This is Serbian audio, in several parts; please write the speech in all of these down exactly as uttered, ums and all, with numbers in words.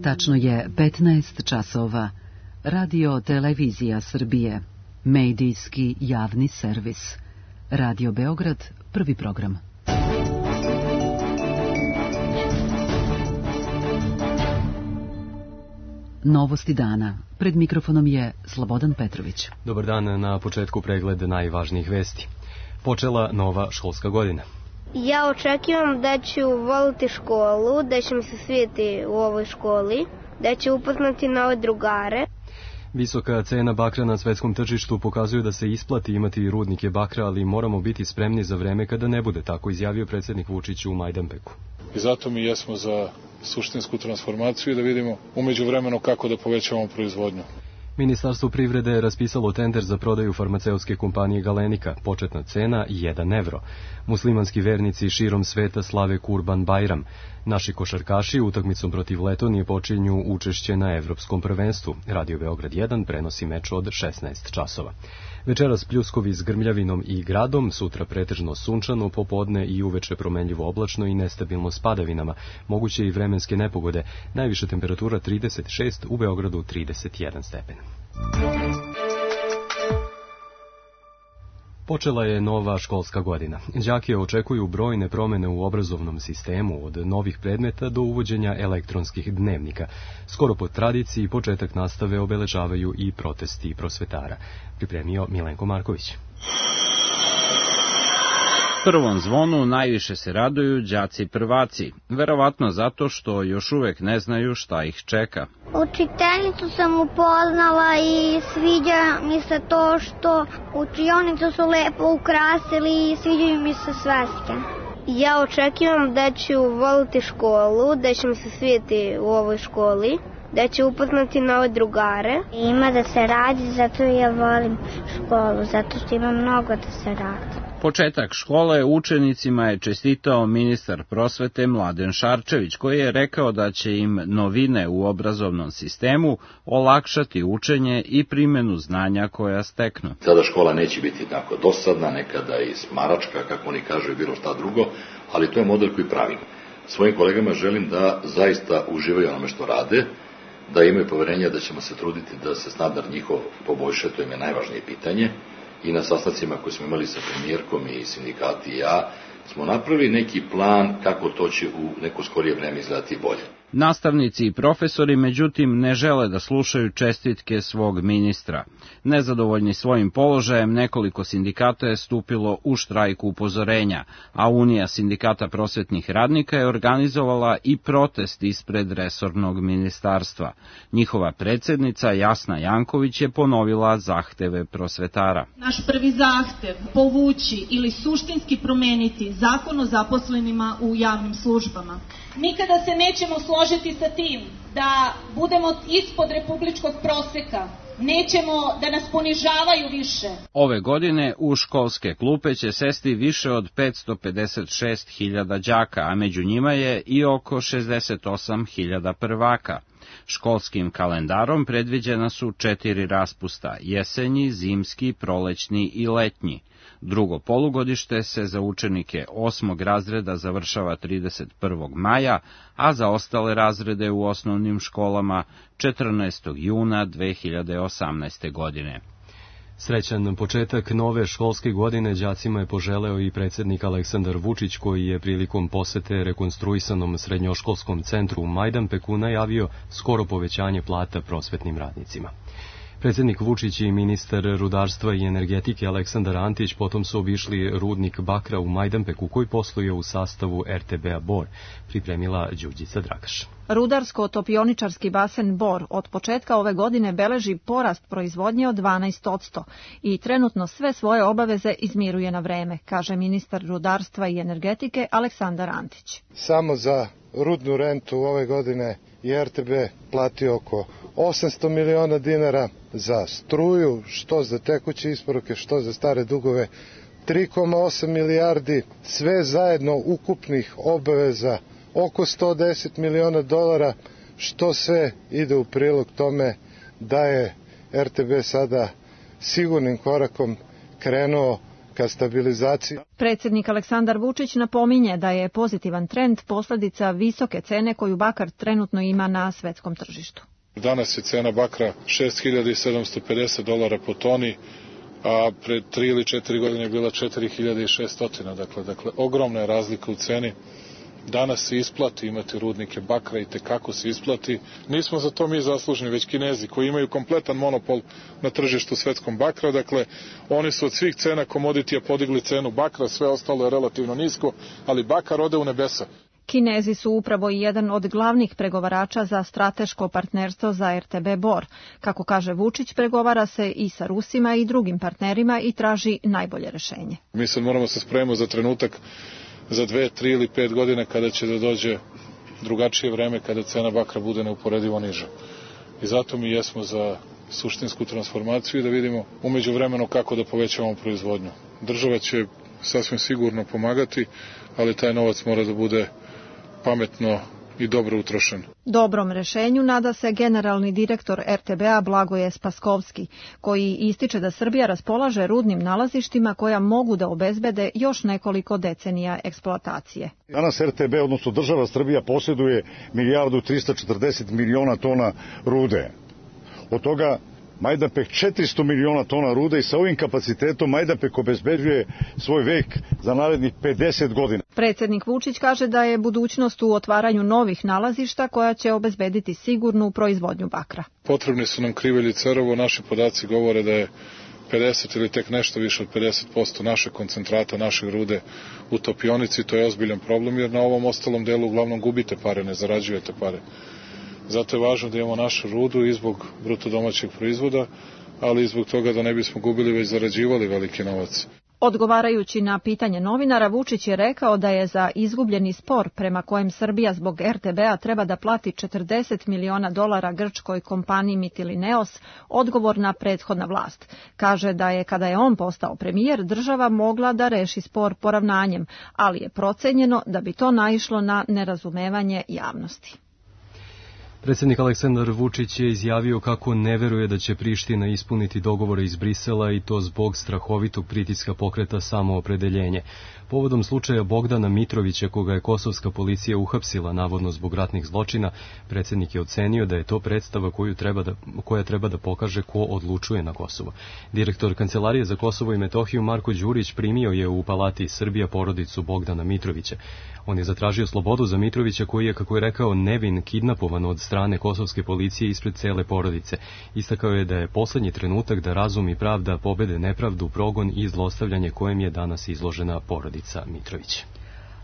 Tačno je petnaest časova. Radio Televizija Srbije. Medijski javni servis. Radio Beograd, prvi program. Novosti dana. Pred mikrofonom je Slobodan Petrović. Dobar dan, na početku pregled najvažnijih vesti. Počela nova školska godina. Ja očekivam da ću voliti školu, da će mi se svijeti u ovoj školi, da ću upoznati nove drugare. Visoka cena bakra na svetskom tržištu pokazuje da se isplati imati rudnike bakra, ali moramo biti spremni za vreme kada ne bude, tako izjavio predsjednik Vučić u Majdanpeku. I zato mi jesmo za suštinsku transformaciju i da vidimo umeđu vremenu kako da povećavamo proizvodnju. Ministarstvo privrede je raspisalo tender za prodaju farmaceutske kompanije Galenika. Početna cena jedan evro. Muslimanski vernici širom sveta slave Kurban Bajram. Naši košarkaši utakmicom protiv Letonije počinju učešće na Evropskom prvenstvu. Radio Beograd jedan prenosi meč od šesnaest časova. Večeras pljuskovi s grmljavinom i gradom, sutra pretežno sunčano, popodne i uveče promenljivo oblačno i nestabilno s padavinama. Moguće i vremenske nepogode. Najviša temperatura trideset šest, u Beogradu trideset jedan stepen. Počela je nova školska godina. Đake očekuju brojne promene u obrazovnom sistemu, od novih predmeta do uvođenja elektronskih dnevnika. Skoro po tradiciji početak nastave obeležavaju i protesti prosvetara. Pripremio Milenko Marković. Prvom zvonu najviše se raduju đaci prvaci, verovatno zato što još uvek ne znaju šta ih čeka. Učiteljicu sam upoznala i sviđa mi se to što učionicu su lepo ukrasili i sviđaju mi se sveske. Ja očekivam da ću voliti školu, da će mi se svijeti u ovoj školi, da ću upoznati nove drugare. Ima da se radi, zato ja volim školu, zato što ima mnogo da se radi. Početak škole učenicima je čestitao ministar prosvete Mladen Šarčević, koji je rekao da će im novine u obrazovnom sistemu olakšati učenje i primjenu znanja koja steknu. Sada škola neće biti tako dosadna, nekada i smaračka, kako oni kažu, i bilo šta drugo, ali to je model koji pravim. Svojim kolegama želim da zaista uživaju onome što rade, da imaju poverenja da ćemo se truditi da se standard njihov poboljša, to im je najvažnije pitanje. I na sastancima koje smo imali sa premijerkom i sindikati i ja, smo napravili neki plan kako to će u neko skorije vreme izgledati bolje. Nastavnici i profesori, međutim, ne žele da slušaju čestitke svog ministra. Nezadovoljni svojim položajem, nekoliko sindikata je stupilo u štrajk upozorenja, a Unija sindikata prosvetnih radnika je organizovala i protest ispred resornog ministarstva. Njihova predsjednica Jasna Janković je ponovila zahteve prosvetara. Naš prvi zahtev povući ili suštinski promeniti zakon o zaposlenima u javnim službama. Nikada se nećemo složiti sa tim da budemo ispod republičkog proseka. Nećemo da nas ponižavaju više. Ove godine u školske klupe će sesti više od petsto pedeset šest hiljada đaka, a među njima je i oko šezdeset osam hiljada prvaka. Školskim kalendarom predviđena su četiri raspusta, jesenji, zimski, prolećni i letnji. Drugo polugodište se za učenike osmog razreda završava trideset prvog maja, a za ostale razrede u osnovnim školama četrnaestog juna dve hiljade osamnaeste. godine. Srećan početak nove školske godine đacima je poželeo i predsjednik Aleksandar Vučić, koji je prilikom posete rekonstruisanom srednjoškolskom centru u Majdanpeku najavio skoro povećanje plata prosvetnim radnicima. Predsjednik Vučić i ministar rudarstva i energetike Aleksandar Antić potom su obišli rudnik bakra u Majdanpeku, koji posluje u sastavu er te be-a Bor, pripremila Đurđica Dragaš. Rudarsko-topioničarski basen Bor od početka ove godine beleži porast proizvodnje od dvanaest posto i trenutno sve svoje obaveze izmiruje na vreme, kaže ministar rudarstva i energetike Aleksandar Antić. Samo za rudnu rentu ove godine je er te be platio oko osamsto miliona dinara, za struju, što za tekuće isporuke, što za stare dugove, tri zarez osam milijardi, sve zajedno ukupnih obaveza oko sto deset miliona dolara, što sve ide u prilog tome da je er te be sada sigurnim korakom krenuo ka stabilizaciji. Predsjednik Aleksandar Vučić napominje da je pozitivan trend posljedica visoke cene koju bakar trenutno ima na svetskom tržištu. Danas je cena bakra šest hiljada sedamsto pedeset dolara po toni, a pred tri ili četiri godine je bila četiri hiljade šesto. Dakle, dakle, ogromna je razlika u ceni. Danas se isplati imati rudnike bakra i tekako se isplati. Nismo za to mi zaslužni, već Kinezi koji imaju kompletan monopol na tržištu svetskom bakra. Dakle, oni su od svih cena komoditija podigli cenu bakra, sve ostalo je relativno nisko, ali bakar ode u nebesa. Kinezi su upravo i jedan od glavnih pregovarača za strateško partnerstvo za er te be Bor. Kako kaže Vučić, pregovara se i sa Rusima i drugim partnerima i traži najbolje rešenje. Mi sad moramo se spremiti za trenutak za dve, tri ili pet godine kada će da dođe drugačije vreme, kada cena bakra bude neuporedivo niža. I zato mi jesmo za suštinsku transformaciju i da vidimo umeđu vremenu kako da povećavamo proizvodnju. Država će sasvim sigurno pomagati, ali taj novac mora da bude pametno i dobro utrošen. Dobrom rešenju nada se generalni direktor er te be a Blagoje Spaskovski, koji ističe da Srbija raspolaže rudnim nalazištima koja mogu da obezbede još nekoliko decenija eksploatacije. Danas er te be, odnosno država Srbija, posjeduje milijardu trista četrdeset miliona tona rude. Od toga Majdanpek četiristo miliona tona rude i sa ovim kapacitetom Majdanpek obezbeđuje svoj vek za narednih pedeset godina. Predsjednik Vučić kaže da je budućnost u otvaranju novih nalazišta koja će obezbediti sigurnu proizvodnju bakra. Potrebni su nam krivelj i Cerovo. Naši podaci govore da je pedeset ili tek nešto više od pedeset posto naše koncentrata, naše rude u topionici. To je ozbiljan problem jer na ovom ostalom delu uglavnom gubite pare, ne zarađujete pare. Zato je važno da imamo našu rudu i zbog bruto domaćeg proizvoda, ali i zbog toga da ne bismo gubili već zarađivali veliki novac. Odgovarajući na pitanje novinara, Vučić je rekao da je za izgubljeni spor prema kojem Srbija zbog er te be a treba da plati četrdeset miliona dolara grčkoj kompaniji Mytilineos odgovorna prethodna vlast. Kaže da je kada je on postao premijer država mogla da reši spor poravnanjem, ali je procenjeno da bi to naišlo na nerazumevanje javnosti. Predsjednik Aleksandar Vučić je izjavio kako ne veruje da će Priština ispuniti dogovore iz Brisela i to zbog strahovitog pritiska pokreta Samoopredeljenje. Povodom slučaja Bogdana Mitrovića, koga je kosovska policija uhapsila navodno zbog ratnih zločina, predsjednik je ocenio da je to predstava koju treba da, koja treba da pokaže ko odlučuje na Kosovo. Direktor Kancelarije za Kosovo i Metohiju Marko Đurić primio je u Palati Srbija porodicu Bogdana Mitrovića. On je zatražio slobodu za Mitrovića koji je, kako je rekao, nevin kidnapovan od strane kosovske policije ispred cele porodice. Istakao je da je poslednji trenutak da razum i pravda pobede nepravdu, progon i zlostavljanje kojem je danas izložena porodica Mitrović.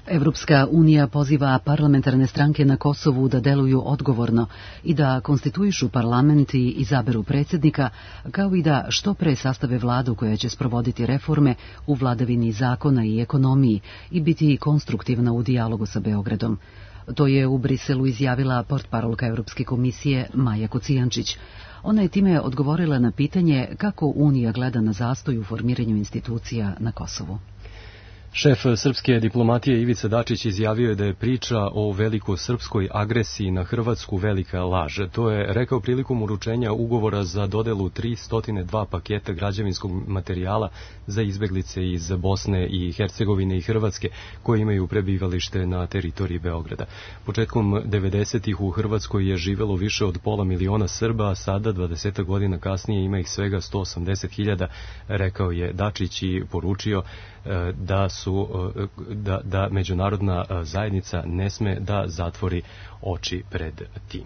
Evropska unija poziva parlamentarne stranke na Kosovu da deluju odgovorno i da konstituišu parlament i izaberu predsjednika, kao i da što pre sastave vladu koja će sprovoditi reforme u vladavini zakona i ekonomiji i biti konstruktivna u dijalogu sa Beogradom. To je u Briselu izjavila portparolka Evropske komisije Maja Kocijančić. Ona je time odgovorila na pitanje kako Unija gleda na zastoj u formiranju institucija na Kosovu. Šef srpske diplomatije Ivica Dačić izjavio je da je priča o velikosrpskoj agresiji na Hrvatsku velika laž. To je rekao prilikom uručenja ugovora za dodelu tristo dva paketa građevinskog materijala za izbeglice iz Bosne i Hercegovine i Hrvatske koji imaju prebivalište na teritoriji Beograda. Početkom devedesetih u Hrvatskoj je živelo više od pola miliona Srba, a sada dvadeset godina kasnije ima ih svega sto osamdeset hiljada, rekao je Dačić i poručio da su da, da međunarodna zajednica ne sme da zatvori oči pred tim.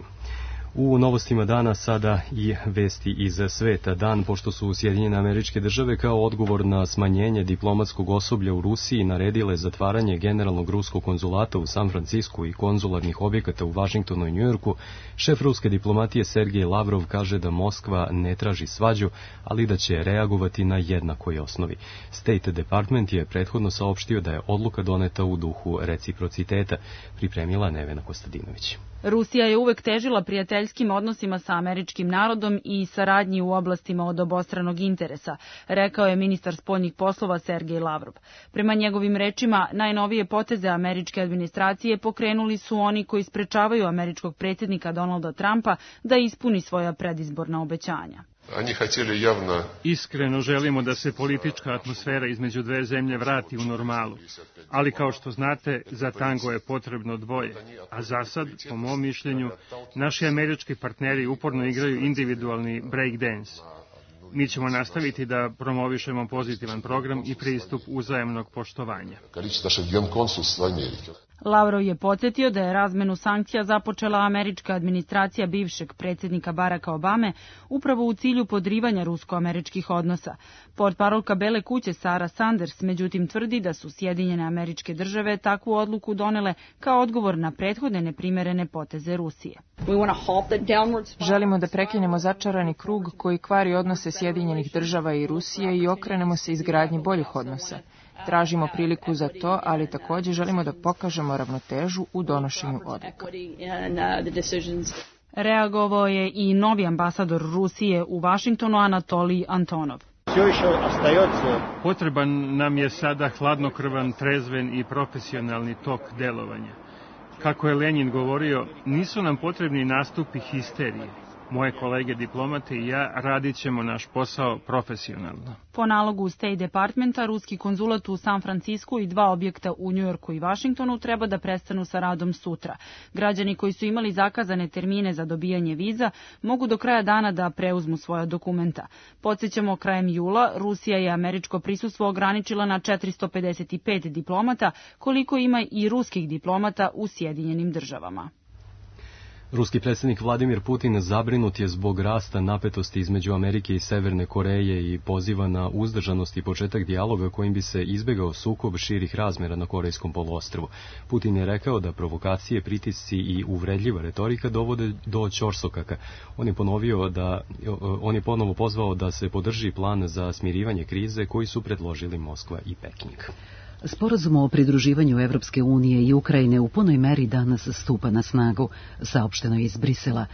U novostima dana sada i vesti iz sveta. Dan pošto su Sjedinjene Američke Države kao odgovor na smanjenje diplomatskog osoblja u Rusiji naredile zatvaranje generalnog ruskog konzulata u San Francisku i konzularnih objekata u Vašingtonu i Njujorku, šef ruske diplomatije Sergej Lavrov kaže da Moskva ne traži svađu, ali da će reagovati na jednakoj osnovi. State Department je prethodno saopštio da je odluka doneta u duhu reciprociteta, pripremila Nevena Kostadinović. Rusija je uvek težila prijateljskim odnosima sa američkim narodom i saradnji u oblastima od obostranog interesa, rekao je ministar spoljnih poslova Sergej Lavrov. Prema njegovim rečima, najnovije poteze američke administracije pokrenuli su oni koji sprečavaju američkog predsjednika Donalda Trumpa da ispuni svoja predizborna obećanja. Iskreno želimo da se politička atmosfera između dve zemlje vrati u normalu, ali kao što znate, za tango je potrebno dvoje, a za sad, po mom mišljenju, naši američki partneri uporno igraju individualni breakdance. Mi ćemo nastaviti da promovišemo pozitivan program i pristup uzajamnog poštovanja. Lavrov je podsjetio da je razmenu sankcija započela američka administracija bivšeg predsjednika Baracka Obame upravo u cilju podrivanja rusko-američkih odnosa. Portparolka Bele kuće Sara Sanders međutim tvrdi da su Sjedinjene Američke Države takvu odluku donele kao odgovor na prethodne neprimerene poteze Rusije. Želimo da prekinemo začarani krug koji kvari odnose Sjedinjenih Država i Rusije i okrenemo se izgradnji boljih odnosa. Tražimo priliku za to, ali također želimo da pokažemo ravnotežu u donošenju odluka. Reagovao je i novi ambasador Rusije u Vašingtonu Anatolij Antonov. Potreban nam je sada hladnokrvan, trezven i profesionalni tok delovanja. Kako je Lenin govorio, nisu nam potrebni nastupi histerije. Moje kolege diplomate i ja radit ćemo naš posao profesionalno. Po nalogu State Departmenta, ruski konzulat u San Francisku i dva objekta u Njujorku i Vašingtonu treba da prestanu sa radom sutra. Građani koji su imali zakazane termine za dobijanje viza mogu do kraja dana da preuzmu svoja dokumenta. Podsjećamo, krajem jula Rusija je američko prisustvo ograničila na četiristo pedeset pet diplomata, koliko ima i ruskih diplomata u Sjedinjenim Državama. Ruski predsjednik Vladimir Putin zabrinut je zbog rasta napetosti između Amerike i Severne Koreje i poziva na uzdržanost i početak dijaloga kojim bi se izbegao sukob širih razmjera na Korejskom poluostrvu. Putin je rekao da provokacije, pritisci i uvredljiva retorika dovode do ćorsokaka. On je ponovio da on je ponovo pozvao da se podrži plan za smirivanje krize koji su predložili Moskva i Peking. Sporazum o pridruživanju Evropske unije i Ukrajine u punoj meri danas stupa na snagu, saopšteno je iz Brisela.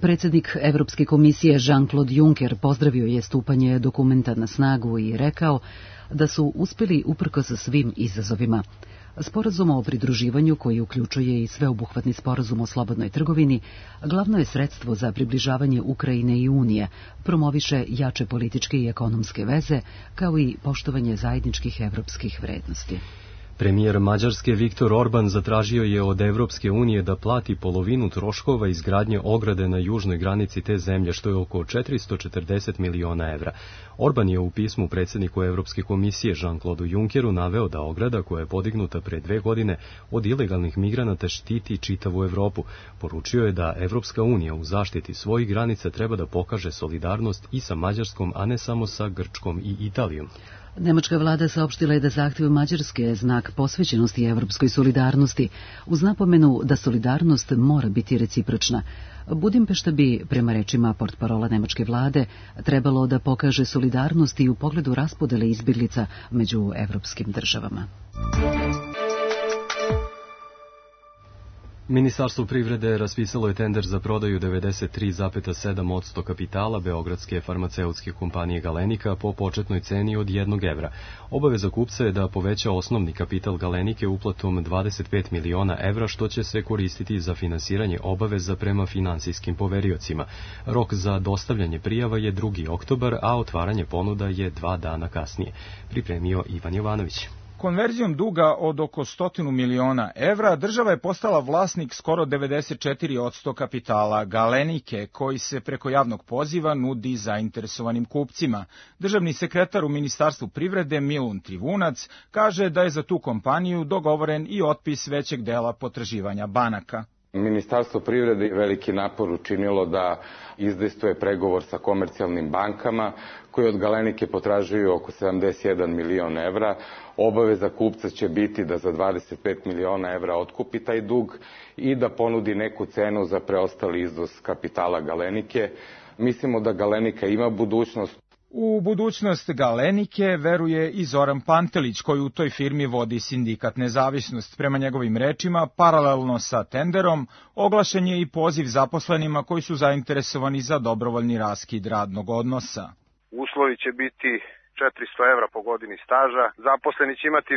Predsjednik Evropske komisije Jean-Claude Juncker pozdravio je stupanje dokumenta na snagu i rekao da su uspjeli uprkos svim izazovima. Sporazum o pridruživanju, koji uključuje i sveobuhvatni sporazum o slobodnoj trgovini, glavno je sredstvo za približavanje Ukrajine i Unije, promoviše jače političke i ekonomske veze, kao i poštovanje zajedničkih evropskih vrednosti. Premijer Mađarske Viktor Orban zatražio je od Evropske unije da plati polovinu troškova izgradnje ograde na južnoj granici te zemlje, što je oko četiristo četrdeset miliona evra. Orban je u pismu predsjedniku Evropske komisije Jean-Claude Junckeru naveo da ograda, koja je podignuta pre dve godine, od ilegalnih migranata štiti čitavu Evropu. Poručio je da Evropska unija u zaštiti svojih granica treba da pokaže solidarnost i sa Mađarskom, a ne samo sa Grčkom i Italijom. Nemačka vlada saopštila je da zahtjev Mađarske je znak posvećenosti evropskoj solidarnosti, uz napomenu da solidarnost mora biti recipročna. Budimpešta bi, prema rečima portparola nemačke vlade, trebalo da pokaže solidarnost i u pogledu raspodele izbjeglica među evropskim državama. Ministarstvo privrede raspisalo je tender za prodaju devedeset tri zarez sedam posto kapitala beogradske farmaceutske kompanije Galenika po početnoj ceni od jednog evra. Obaveza kupca je da poveća osnovni kapital Galenike uplatom dvadeset pet miliona evra, što će se koristiti za finansiranje obaveza prema finansijskim poveriocima. Rok za dostavljanje prijava je drugi oktobar, a otvaranje ponuda je dva dana kasnije. Pripremio Ivan Jovanović. Konverzijom duga od oko stotinu miliona evra država je postala vlasnik skoro devedeset četiri posto kapitala Galenike, koji se preko javnog poziva nudi zainteresovanim kupcima. Državni sekretar u Ministarstvu privrede Milun Trivunac kaže da je za tu kompaniju dogovoren i otpis većeg dela potraživanja banaka. Ministarstvo privrede je veliki napor učinilo da izdejstvuje pregovor sa komercijalnim bankama koji od Galenike potražuju oko sedamdeset jedan milion evra. Obaveza kupca će biti da za dvadeset pet miliona evra otkupi taj dug i da ponudi neku cenu za preostali iznos kapitala Galenike. Mislimo da Galenika ima budućnost. U budućnost Galenike veruje i Zoran Pantelić, koji u toj firmi vodi sindikat Nezavisnost. Prema njegovim rečima, paralelno sa tenderom, oglašen je i poziv zaposlenima koji su zainteresovani za dobrovoljni raskid radnog odnosa. Uslovi će biti četiristo evra po godini staža. Zaposleni će imati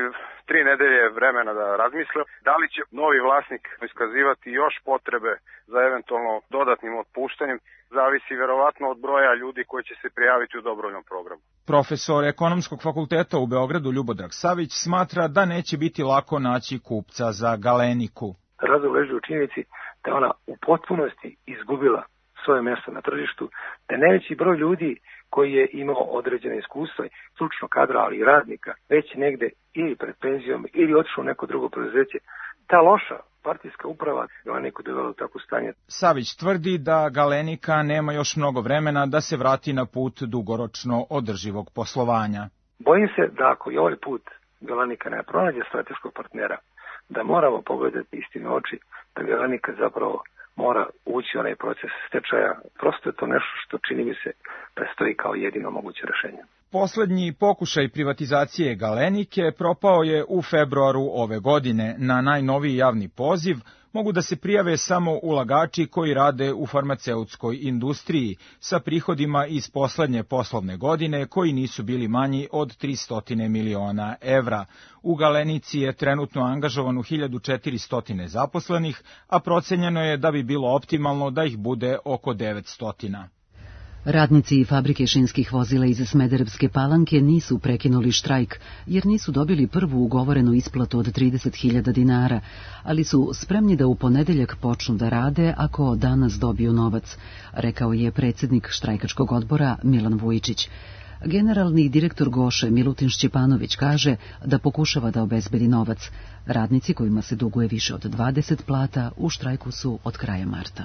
tri nedelje vremena da razmisle da li će novi vlasnik iskazivati još potrebe za eventualno dodatnim otpuštanjem. Zavisi verovatno od broja ljudi koji će se prijaviti u dobrovoljnom programu. Profesor Ekonomskog fakulteta u Beogradu Ljubodrag Savić smatra da neće biti lako naći kupca za Galeniku. Razlog leži u činjenici da ona u potpunosti izgubila svoje mjesto na tržištu, da najveći broj ljudi koji je imao određene iskustva, stručno kadra, ali i radnika, već negde ili pred penzijom ili otišao u neko drugo preduzeće. Ta loša partijska uprava Galeniku dovela u takvo stanje. Savić tvrdi da Galenika nema još mnogo vremena da se vrati na put dugoročno održivog poslovanja. Bojim se da ako i ovaj put Galenika ne pronađe strateškog partnera, da moramo pogledati istine oči, da Galenika zapravo mora ući u onaj proces stečaja. Prosto je to nešto što čini mi se prestoji kao jedino moguće rešenje. Poslednji pokušaj privatizacije Galenike propao je u februaru ove godine. Na najnoviji javni poziv mogu da se prijave samo ulagači koji rade u farmaceutskoj industriji sa prihodima iz poslednje poslovne godine koji nisu bili manji od tristo miliona evra. U Galenici je trenutno angažovano hiljadu četiristo zaposlenih, a procenjeno je da bi bilo optimalno da ih bude oko devetsto. Radnici fabrike šinskih vozila iz Smederevske Palanke nisu prekinuli štrajk, jer nisu dobili prvu ugovorenu isplatu od trideset hiljada dinara, ali su spremni da u ponedeljak počnu da rade ako danas dobiju novac, rekao je predsjednik štrajkačkog odbora Milan Vujičić. Generalni direktor Goše Milutin Šćepanović kaže da pokušava da obezbedi novac. Radnici kojima se duguje više od dvadeset plata u štrajku su od kraja marta.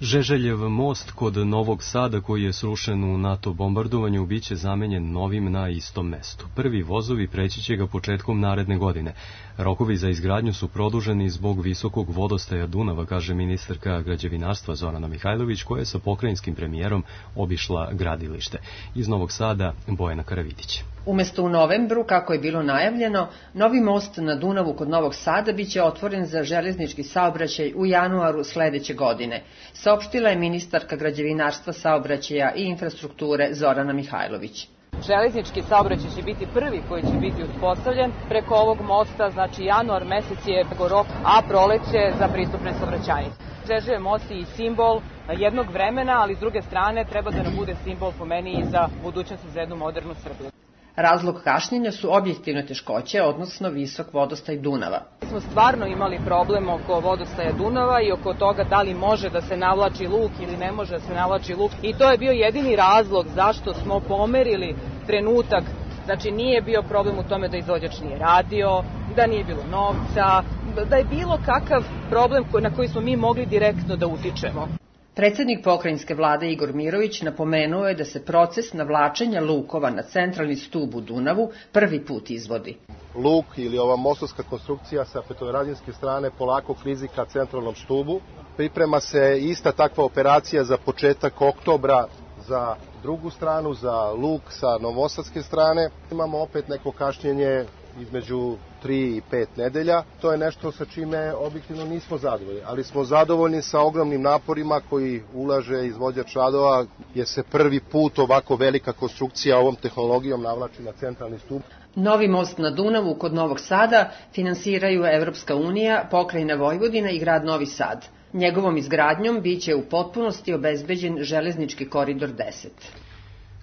Žeželjev most kod Novog Sada, koji je srušen u NATO bombardovanju, biće zamenjen novim na istom mestu. Prvi vozovi preći će ga početkom naredne godine. Rokovi za izgradnju su produženi zbog visokog vodostaja Dunava, kaže ministarka građevinarstva Zorana Mihajlović, koja je sa pokrajinskim premijerom obišla gradilište. Iz Novog Sada Bojana Karavidić. Umesto u novembru, kako je bilo najavljeno, novi most na Dunavu kod Novog Sada biće otvoren za železnički saobraćaj u januaru sledeće godine, saopštila je ministarka građevinarstva, saobraćaja i infrastrukture Zorana Mihajlović. Železnički saobraćaj će biti prvi koji će biti uspostavljen preko ovog mosta, znači januar mesec je rok, a proleće za pristupne saobraćajnice. Žeželjev most je i simbol jednog vremena, ali s druge strane treba da nam bude simbol po meni i za budućnost za jednu modernu Srbiju. Razlog kašnjenja su objektivne teškoće, odnosno visok vodostaj Dunava. Mi smo stvarno imali problem oko vodostaja Dunava i oko toga da li može da se navlači luk ili ne može da se navlači luk. I to je bio jedini razlog zašto smo pomerili trenutak. Znači nije bio problem u tome da izvođač nije radio, da nije bilo novca, da je bilo kakav problem na koji smo mi mogli direktno da utičemo. Predsednik pokrajinske vlade Igor Mirović napomenuo je da se proces navlačenja lukova na centralni stub u Dunavu prvi put izvodi. Luk ili ova mostovska konstrukcija sa petoradinske strane polako klizi ka centralnom stubu. Priprema se ista takva operacija za početak oktobra za drugu stranu, za luk sa novosadske strane. Imamo opet neko kašnjenje između tri i pet nedelja. To je nešto sa čime objektivno nismo zadovoljni, ali smo zadovoljni sa ogromnim naporima koji ulaže izvođač radova, jer se prvi put ovako velika konstrukcija ovom tehnologijom navlači na centralni stup. Novi most na Dunavu kod Novog Sada finansiraju Evropska unija, pokrajina Vojvodina i grad Novi Sad. Njegovom izgradnjom biće u potpunosti obezbeđen železnički koridor deset.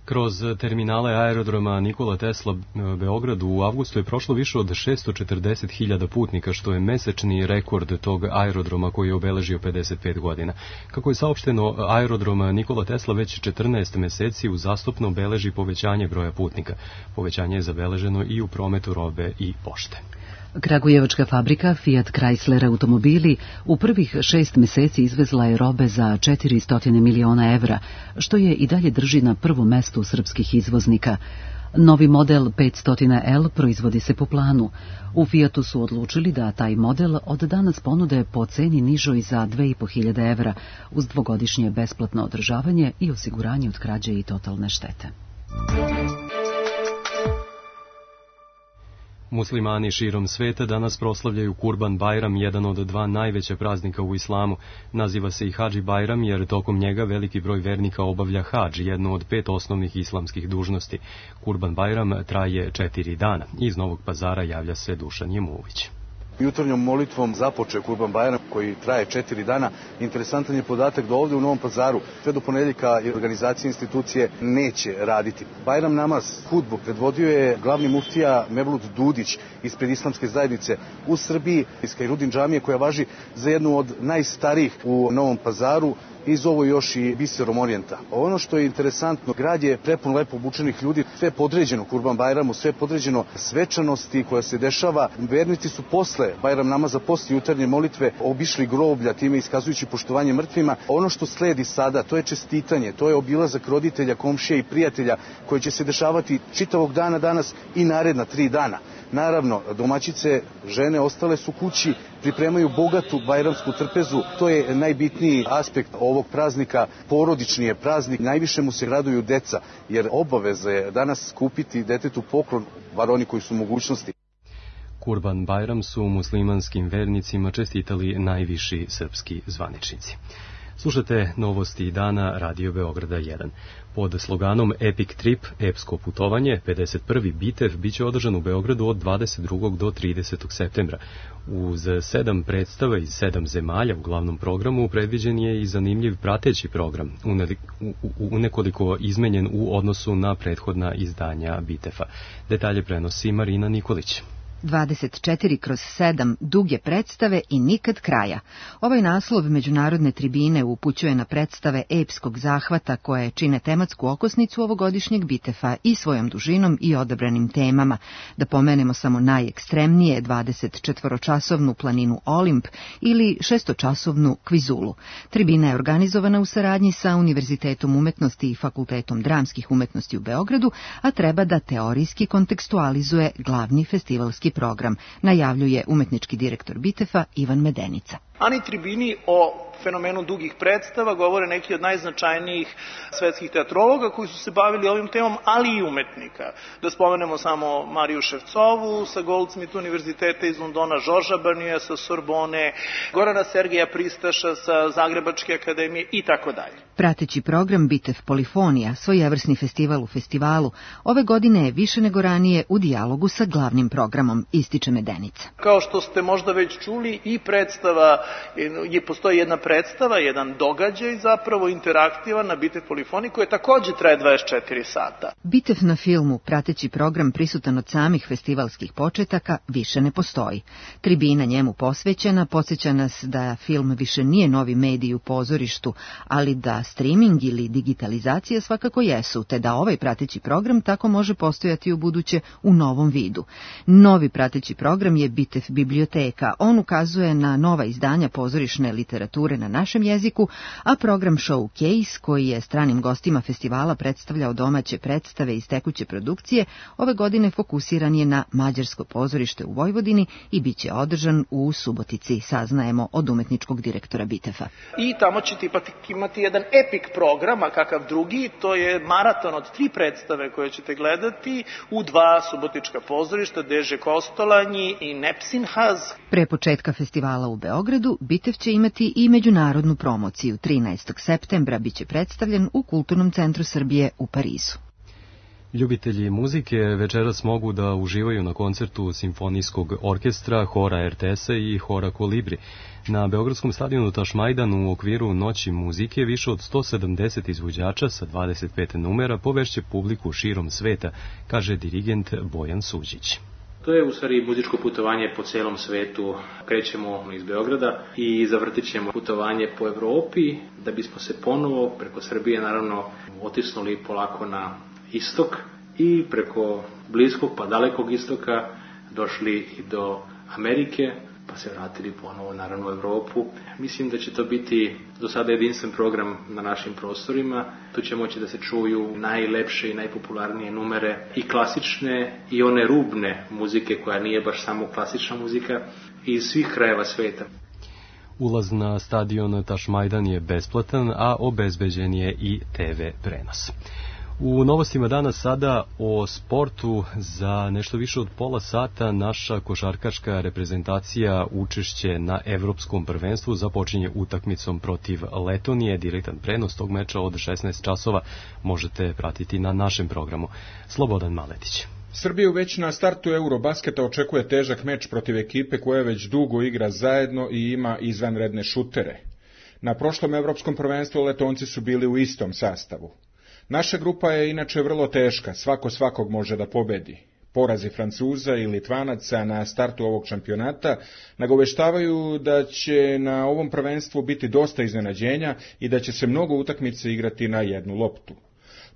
Kroz terminale aerodroma Nikola Tesla Beogradu u avgustu je prošlo više od šesto četrdeset hiljada putnika, što je mesečni rekord tog aerodroma koji je obeležio pedeset pet godina. Kako je saopšteno, aerodrom Nikola Tesla već četrnaest meseci uzastopno beleži povećanje broja putnika. Povećanje je zabeleženo i u prometu robe i pošte. Kragujevačka fabrika Fiat Chrysler automobili u prvih šest meseci izvezla je robe za četiristo miliona evra, što je i dalje drži na prvom mestu srpskih izvoznika. Novi model petsto L proizvodi se po planu. U Fiatu su odlučili da taj model od danas ponude po ceni nižoj za dve i po hiljade evra, uz dvogodišnje besplatno održavanje i osiguranje od krađe i totalne štete. Muslimani širom sveta danas proslavljaju Kurban Bajram, jedan od dva najveća praznika u islamu. Naziva se i Hadži Bajram jer tokom njega veliki broj vernika obavlja hadž, jednu od pet osnovnih islamskih dužnosti. Kurban Bajram traje četiri dana. Iz Novog Pazara javlja se Dušan Jemuvić. Jutarnjom molitvom započeo Kurban Bajram koji traje četiri dana. Interesantan je podatak da ovdje u Novom Pazaru sve do ponedjeljka organizacije institucije neće raditi. Bajram namaz, hudbu predvodio je glavni muftija Mevlut Dudić ispred islamske zajednice u Srbiji iz Kajrudin džamije koja važi za jednu od najstarijih u Novom Pazaru. Iz ovo još i biserom orijenta. Ono što je interesantno, grad je prepun lepo obučenih ljudi, sve podređeno Kurban Bajramu, sve podređeno svečanosti koja se dešava. Vernici su posle Bajram namaza, posle jutarnje molitve obišli groblja, time iskazujući poštovanje mrtvima. Ono što sledi sada, to je čestitanje, to je obilazak roditelja, komšija i prijatelja koji će se dešavati čitavog dana danas i naredna tri dana. Naravno, domaćice, žene ostale su kući, pripremaju bogatu bajramsku trpezu. To je najbitniji aspekt ovog praznika. Porodični je praznik, najviše mu se raduju deca, jer obaveza je danas kupiti detetu poklon, bar oni koji su mogućnosti. Kurban Bajram su muslimanskim vernicima čestitali najviši srpski zvaničnici. Slušate novosti dana Radio Beograda jedan. Pod sloganom Epic Trip, epsko putovanje, pedeset prvi Bitev biće održan u Beogradu od dvadeset drugog do tridesetog septembra. Uz sedam predstava iz sedam zemalja u glavnom programu predviđen je i zanimljiv prateći program, unekoliko izmenjen u odnosu na prethodna izdanja Bitefa. Detalje prenosi Marina Nikolić. dvadeset četiri kroz sedam duge predstave i nikad kraja. Ovaj naslov međunarodne tribine upućuje na predstave epskog zahvata koje čine tematsku okosnicu ovogodišnjeg Bitefa i svojom dužinom i odabranim temama. Da pomenemo samo najekstremnije dvadeset četvoročasovnu planinu Olimp ili šestočasovnu Kvizulu. Tribina je organizovana u saradnji sa Univerzitetom umetnosti i Fakultetom dramskih umetnosti u Beogradu, a treba da teorijski kontekstualizuje glavni festivalski program, najavljuje umetnički direktor Bitefa Ivan Medenica. Ani tribini o fenomenu dugih predstava govore neki od najznačajnijih svetskih teatrologa koji su se bavili ovim temom, ali i umetnika. Da spomenemo samo Mariju Ševcovu sa Goldsmith univerziteta iz Londona, Žorža Barnija sa Sorbone, Gorana Sergeja Pristaša sa Zagrebačke akademije i tako dalje. Prateći program Bitev Polifonija, svojevrsni festival u festivalu, ove godine je više nego ranije u dijalogu sa glavnim programom, ističe Medenica. Kao što ste možda već čuli, i predstava, je, postoji jedna predstava, jedan događaj zapravo interaktivan na Bitev Polifoniji koji takođe traje dvadeset četiri sata. Bitev na filmu, prateći program prisutan od samih festivalskih početaka, više ne postoji. Tribina njemu posvećena podsjeća nas da film više nije novi medij u pozorištu, ali da streaming ili digitalizacija svakako jesu, te da ovaj prateći program tako može postojati u buduće u novom vidu. Novi prateći program je Bitev biblioteka. On ukazuje na nova izdanja pozorišne literature na našem jeziku, a program Showcase, koji je stranim gostima festivala predstavljao domaće predstave iz tekuće produkcije, ove godine fokusiran je na mađarsko pozorište u Vojvodini i bit će održan u Subotici, saznajemo od umetničkog direktora Bitefa. I tamo ćete imati jedan epik program, a kakav drugi, to je maraton od tri predstave koje ćete gledati u dva subotička pozorišta, Deže Kostolanji i Nepsinhaz. Pre početka festivala u Beogradu, Bitev će imati i međunarodnu promociju. trinaestog septembra biće predstavljen u Kulturnom centru Srbije u Parizu. Ljubitelji muzike večeras mogu da uživaju na koncertu Simfonijskog orkestra, hora R T S-a i hora Kolibri. Na Beogradskom stadionu Tašmajdan u okviru Noći muzike više od sto sedamdeset izvođača sa dvadeset pet numera povešće publiku širom sveta, kaže dirigent Bojan Suđić. To je u stvari muzičko putovanje po celom svetu. Krećemo iz Beograda i zavrtit ćemo putovanje po Evropi da bismo se ponovo preko Srbije naravno otisnuli polako na istok i preko bliskog pa dalekog istoka došli i do Amerike, pa se vratili ponovo naravno u Evropu. Mislim da će to biti do sada jedinstven program na našim prostorima. Tu će moći da se čuju najlepše i najpopularnije numere i klasične i one rubne muzike koja nije baš samo klasična muzika iz svih krajeva sveta. Ulaz na stadion Tašmajdan je besplatan, a obezbeđen je i te ve prenos. U novostima danas sada o sportu za nešto više od pola sata naša košarkaška reprezentacija učešće na evropskom prvenstvu započinje utakmicom protiv Letonije. Direktan prenos tog meča od šesnaest časova možete pratiti na našem programu. Slobodan Maletić. Srbiju već na startu Eurobasketa očekuje težak meč protiv ekipe koja već dugo igra zajedno i ima izvanredne šutere. Na prošlom evropskom prvenstvu Letonci su bili u istom sastavu. Naša grupa je inače vrlo teška, svako svakog može da pobedi. Porazi Francuza i Litvanaca na startu ovog šampionata nagoveštavaju da će na ovom prvenstvu biti dosta iznenađenja i da će se mnogo utakmice igrati na jednu loptu.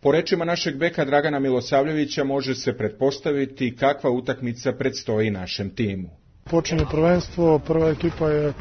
Po rečima našeg beka Dragana Milosavljevića može se pretpostaviti kakva utakmica predstoji našem timu. Počinje prvenstvo, prva ekipa je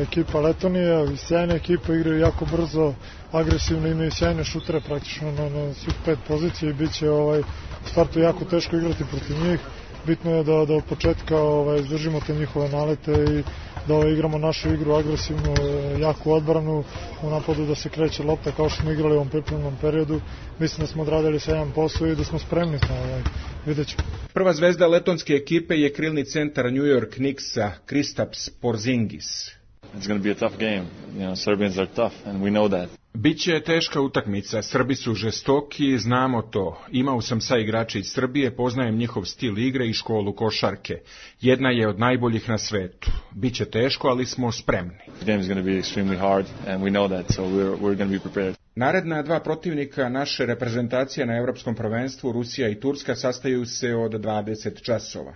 ekipa Letonije, sjajna ekipa, igraju jako brzo, agresivno, imaju sjajne šutere praktično na, na svih pet pozicija i bit će ovaj, u startu jako teško igrati protiv njih. Bitno je da, da od početka ovaj, izdržimo te njihove nalete i da ovaj, igramo našu igru agresivnu, jaku odbranu, u napadu da se kreće lopta kao što smo igrali u ovom pripremnom periodu. Mislim da smo odradili sjajan posao i da smo spremni, ovaj, vidjet ćemo. Prva zvezda letonske ekipe je krilni centar New York Knicksa Kristaps Porzingis. It's going to be a tough game. You know, Serbians are tough and we know that. Biće teška utakmica, Srbi su žestoki, znamo to. Imao sam sa igrači iz Srbije, poznajem njihov stil igre i školu košarke. Jedna je od najboljih na svetu. Biće teško, ali smo spremni. The game is going to be extremely hard and we know that, so we're we're going to be prepared. Naredna dva protivnika naše reprezentacije na evropskom prvenstvu, Rusija i Turska, sastaju se od dvadeset časova.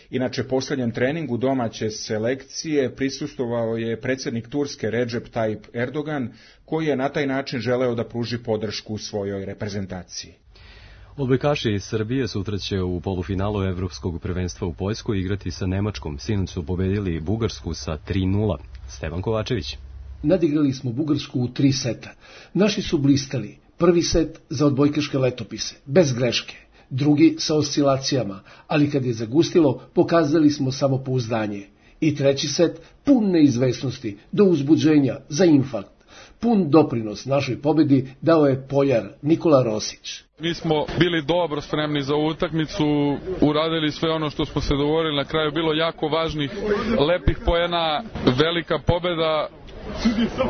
Inače, posljednjem treningu domaće selekcije prisustvovao je predsjednik Turske Recep Tayyip Erdogan, koji je na taj način želeo da pruži podršku svojoj reprezentaciji. Odbojkaši iz Srbije sutra će u polufinalu evropskog prvenstva u Poljskoj igrati sa Nemačkom. Sinoć su pobedili Bugarsku sa tri nula. Stevan Kovačević. Nadigrali smo Bugarsku u tri seta. Naši su blistali. Prvi set za odbojkaške letopise, bez greške. Drugi sa oscilacijama, ali kad je zagustilo, pokazali smo samopouzdanje. I treći set pun neizvesnosti, do uzbuđenja, za infarkt. Pun doprinos našoj pobedi dao je Poljar Nikola Rosić. Mi smo bili dobro spremni za utakmicu, uradili sve ono što smo se dogovorili, na kraju bilo jako važnih, lepih poena, velika pobeda,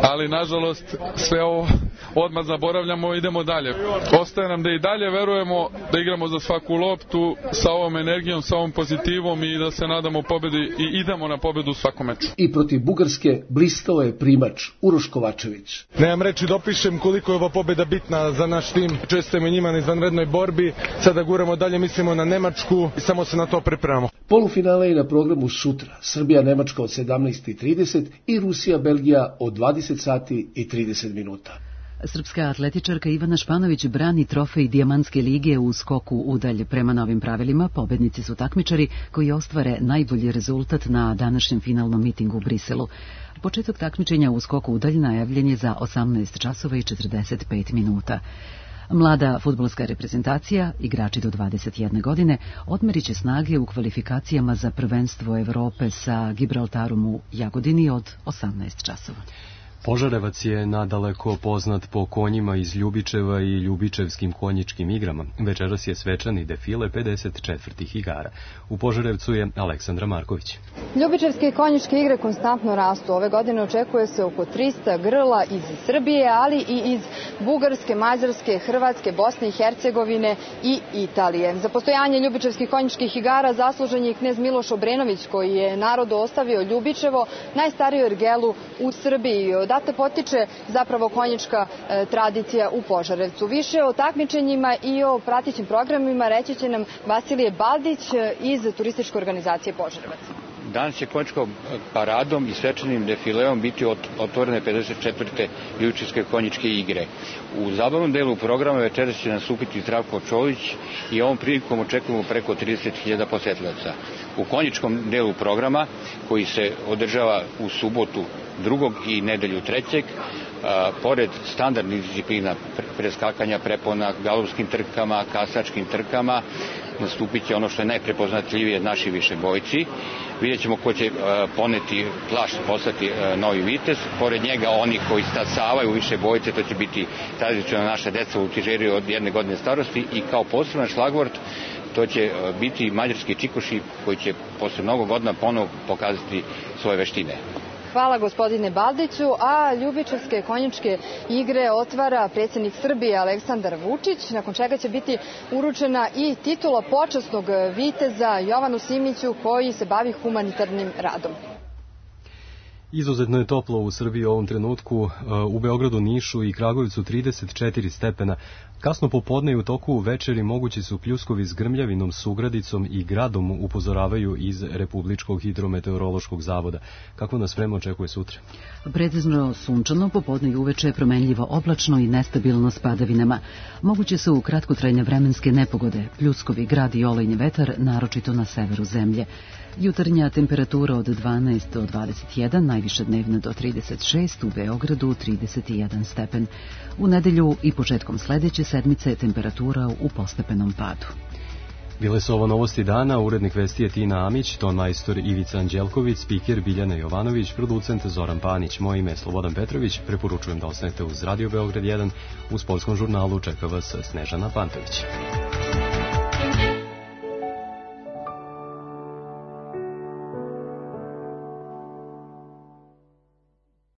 ali nažalost sve ovo odmah zaboravljamo i idemo dalje. Ostaje nam da i dalje verujemo, da igramo za svaku loptu sa ovom energijom, sa ovom pozitivom i da se nadamo pobedi i idemo na pobedu u svakom meču. I protiv Bugarske blistao je primač Uroš Kovačević. Nemam reći da opišem koliko je ova pobeda bitna za naš tim. Čestujemo njima na izvanrednoj borbi, sada guramo dalje, mislimo na Nemačku i samo se na to pripremamo. Polufinale je na programu sutra. Srbija-Nemačka od sedamnaest i trideset i Rusija-Belgija od dvadeset sati i trideset minuta. Srpska atletičarka Ivana Španović brani trofej Dijamantske lige u skoku udalj. Prema novim pravilima, pobednici su takmičari koji ostvare najbolji rezultat na današnjem finalnom mitingu u Briselu. Početak takmičenja u skoku udalj najavljen je za osamnaest časova i četrdeset pet minuta. Mlada fudbalska reprezentacija, igrači do dvadeset jedne godine, odmerit će snage u kvalifikacijama za prvenstvo Evrope sa Gibraltarom u Jagodini od osamnaest časova. Požarevac je nadaleko poznat po konjima iz Ljubičeva i ljubičevskim konjičkim igrama. Večeras je svečani defile pedeset četvrtih igara. U Požarevcu je Aleksandra Marković. Ljubičevske konjičke igre konstantno rastu. Ove godine očekuje se oko trista grla iz Srbije, ali i iz Bugarske, Mađarske, Hrvatske, Bosne i Hercegovine i Italije. Za postojanje ljubičevskih konjičkih igara zaslužen je knez Miloš Obrenović, koji je narodu ostavio Ljubičevo, najstariju ergelu u Srbiji. Odatle potiče zapravo konjička e, tradicija u Požarevcu. Više o takmičenjima i o pratećim programima reći će nam Vasilije Baldić iz turističke organizacije Požarevac. Danas će konjičkom paradom i svečanim defileom biti otvorene pedeset četvrte Ljubičevske konjičke igre. U zabavnom delu programa večeras će nastupiti Zdravko Čolić i ovom prilikom očekujemo preko trideset hiljada posetilaca. U konjičkom delu programa, koji se održava u subotu drugog i nedelju trećeg, a, pored standardnih disciplina preskakanja prepona, galopskim trkama, kasačkim trkama, nastupit će ono što je najprepoznatljivije naši višebojci. Vidjet ćemo ko će poneti plašt, postati novi vitez. Pored njega oni koji stasavaju više bojice, to će biti tradicionalno naša deca u tižeri od jedne godine starosti i kao poseban šlagvort to će biti mađarski čikoši koji će posle mnogo godina ponovo pokazati svoje veštine. Hvala gospodine Baldiću, a ljubičarske konjičke igre otvara predsjednik Srbije Aleksandar Vučić, nakon čega će biti uručena i titula počasnog viteza Jovanu Simiću koji se bavi humanitarnim radom. Izuzetno je toplo u Srbiji u ovom trenutku, u Beogradu, Nišu i Kragujevcu trideset četiri stepena. Kasno popodne i u toku večeri mogući su pljuskovi s grmljavinom, sugradicom i gradom, upozoravaju iz Republičkog hidrometeorološkog zavoda. Kako nas vreme očekuje sutra? Precizno sunčano, popodne i uveče promenljivo oblačno i nestabilno s padavinama. Moguće su kratkotrajne vremenske nepogode, pljuskovi, grad i olejni vetar, naročito na severu zemlje. Jutarnja temperatura od dvanaest do dvadeset jedan, najviša dnevna do trideset šest, u Beogradu trideset jedan stepen. U nedelju i početkom sledeće sedmice je temperatura u postepenom padu. Bile su ovo novosti dana, urednik vesti je Tina Amić, ton majstor Ivica Anđelković, spiker Biljana Jovanović, producent Zoran Panić. Moje ime je Slobodan Petrović, preporučujem da ostanete uz Radio Beograd jedan, u sportskom žurnalu čeka vas Snežana Pantović.